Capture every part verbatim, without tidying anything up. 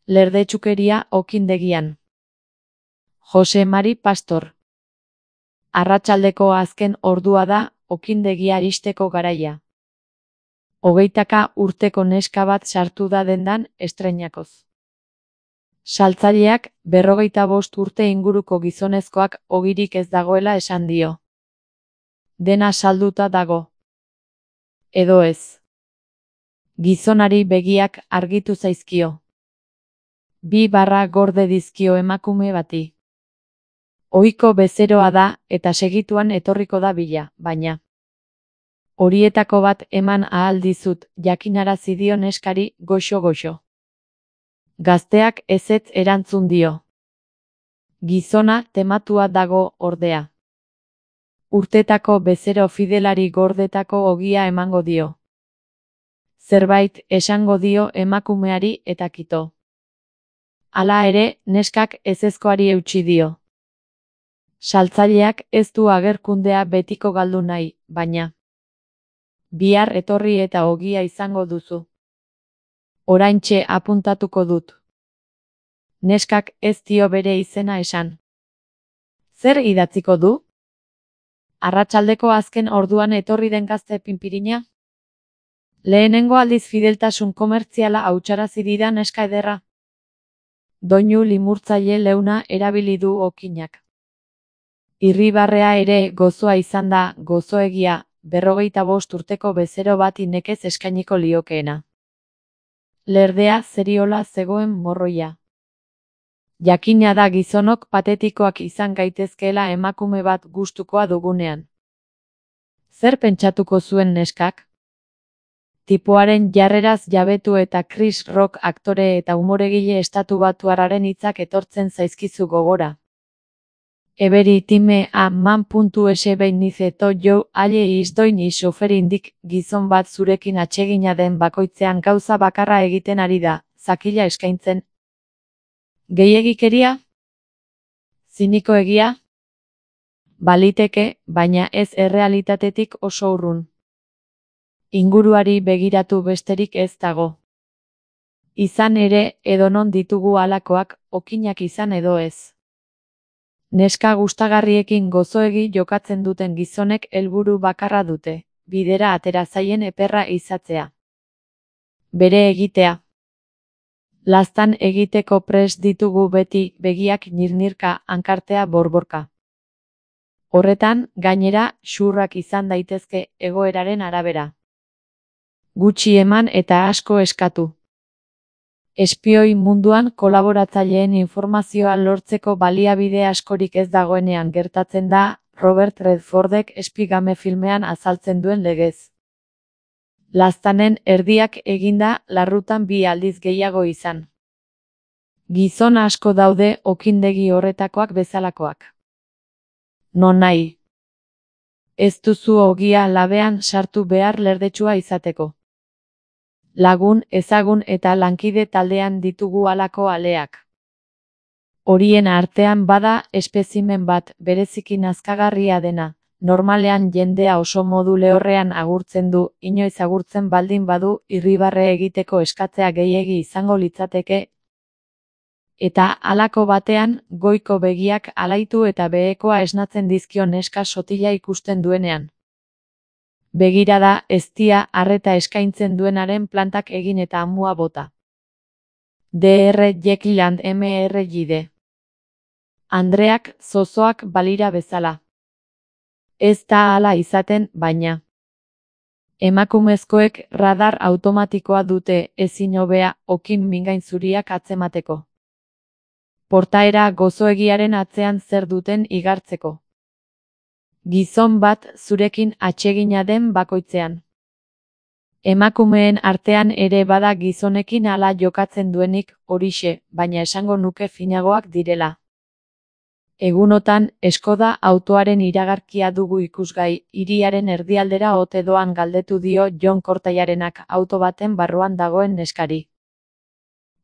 Lerdetxukeria okindegian. Jose Mari Pastor. Arratsaldeko azken ordua da okindegia iristeko garaia. Hogeitaka urteko neska bat sartu da dendan estreinakoz. Saltzaileak berrogeita bost urte inguruko gizonezkoak ogirik ez dagoela esan dio. Dena salduta dago. Edo ez. Gizonari begiak argitu zaizkio. Bi barra gorde dizkio emakume bati. Ohiko bezeroa da eta segituan etorriko da bila, baina horietako bat eman ahal dizut, jakinarazi dio neskari goxo-goxo. Gazteak ezetz erantzun dio. Gizona tematua dago ordea. Urtetako bezero fidelari gordetako ogia emango dio. Zerbait esango dio emakumeari eta kito. Hala ere, neskak ezezkoari eutsi dio. Saltzaileak ez du agerkundea betiko galdu nahi, baina bihar etorri eta ogia izango duzu. Oraintxe apuntatuko dut. Neskak ez dio bere izena esan. Zer idatziko du? Arratsaldeko azken orduan etorri den gazte pinpirina? Lehenengo aldiz fideltasun komertziala hautsarazi dida neska ederra. Doinu limurtzaile leuna erabili du okinak. Irribarrea ere gozoa izan da, gozoegia, berrogeita bost urteko bezero bati nekez eskainiko liokeena. Lerdea zeriola zegoen morroia. Jakina da gizonok patetikoak izan gaitezkeela emakume bat gustukoa dugunean. Zer pentsatuko zuen neskak? Tipoaren jarreraz jabetu eta Chris Rock aktore eta umoregile estatu batuarraren hitzak etortzen zaizkizu gogora. Eberi time a man puntu ese behin nizeto jo aile izdoin isoferindik gizon bat zurekin atsegina den bakoitzean gauza bakarra egiten ari da, zakila eskaintzen. Gehiegikeria? Ziniko egia? Baliteke, baina ez errealitatetik oso urrun. Inguruari begiratu besterik ez dago. Izan ere, edonon ditugu halakoak, okinak izan edo ez. Neska gustagarriekin gozoegi jokatzen duten gizonek helburu bakarra dute, bidera atera zaien eperra izatzea. Bere egitea. Laztan egiteko prest ditugu beti begiak nirnirka, hankartea borborka. Horretan, gainera, xurrak izan daitezke egoeraren arabera. Gutxi eman eta asko eskatu. Espioi munduan kolaboratzaileen informazioa lortzeko baliabide askorik ez dagoenean gertatzen da, Robert Redfordek Espigame filmean azaltzen duen legez. Laztanen erdiak eginda larrutan bi aldiz gehiago izan. Gizon asko daude okindegi horretakoak bezalakoak. Non nahi. Ez duzu ogia labean sartu behar lerdetsua izateko. Lagun, ezagun eta lankide taldean ditugu halako aleak. Horien artean bada espezimen bat bereziki nazkagarria dena, normalean jendea oso modu lehorrean agurtzen du, inoiz agurtzen baldin badu irribarre egiteko eskatzea gehiegi izango litzateke, eta halako batean goiko begiak alaitu eta behekoa esnatzen dizkio neska sotila ikusten duenean. Begirada eztia arreta eskaintzen duenaren plantak egin eta amua bota. D R Jekyll and M R Hyde. Andreak zozoak balira bezala. Ez da hala izaten, baina. Emakumezkoek radar automatikoa dute ezin hobea okin mingain zuriak atzemateko. Portaera gozoegiaren atzean zer duten igartzeko. Gizon bat zurekin atsegina den bakoitzean. Emakumeen artean ere bada gizonekin hala jokatzen duenik, horixe, baina esango nuke finagoak direla. Egunotan, Skoda autoaren iragarkia dugu ikusgai, hiriaren erdialdera ote doan galdetu dio Jon Kortailarenak auto baten barruan dagoen neskari.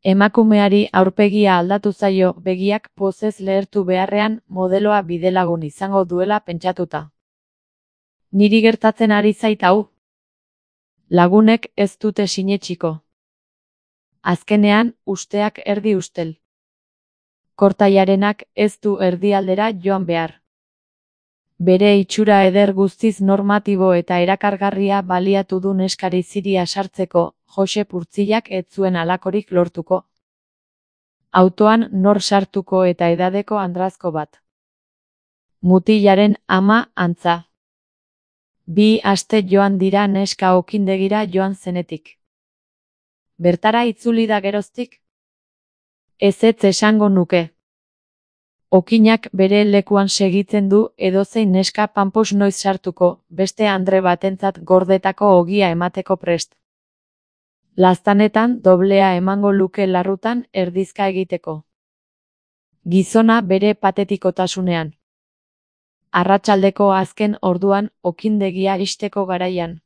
Emakumeari aurpegia aldatu zaio begiak pozez lehertu beharrean modeloa bidelagun izango duela pentsatuta. Niri gertatzen ari zait hau? Lagunek ez dute sinetsiko. Azkenean, usteak erdi ustel. Kortailarenak ez du erdialdera joan behar. Bere itxura eder guztiz normatibo eta erakargarria baliatu du neskari ziria sartzeko, Josep Urtzillak ez zuen halakorik lortuko. Autoan nor sartuko eta edadeko andrazko bat. Mutilaren ama antza. Bi aste joan dira neska okindegira joan zenetik. Bertara itzuli da geroztik? Ezetz esango nuke. Okinak bere lekuan segitzen du edozein neska panpos noiz sartuko, beste andre batentzat gordetako ogia emateko prest. Laztanetan doblea emango luke larrutan erdizka egiteko. Gizona bere patetikotasunean. Arratsaldeko azken orduan okindegia ixteko garaian.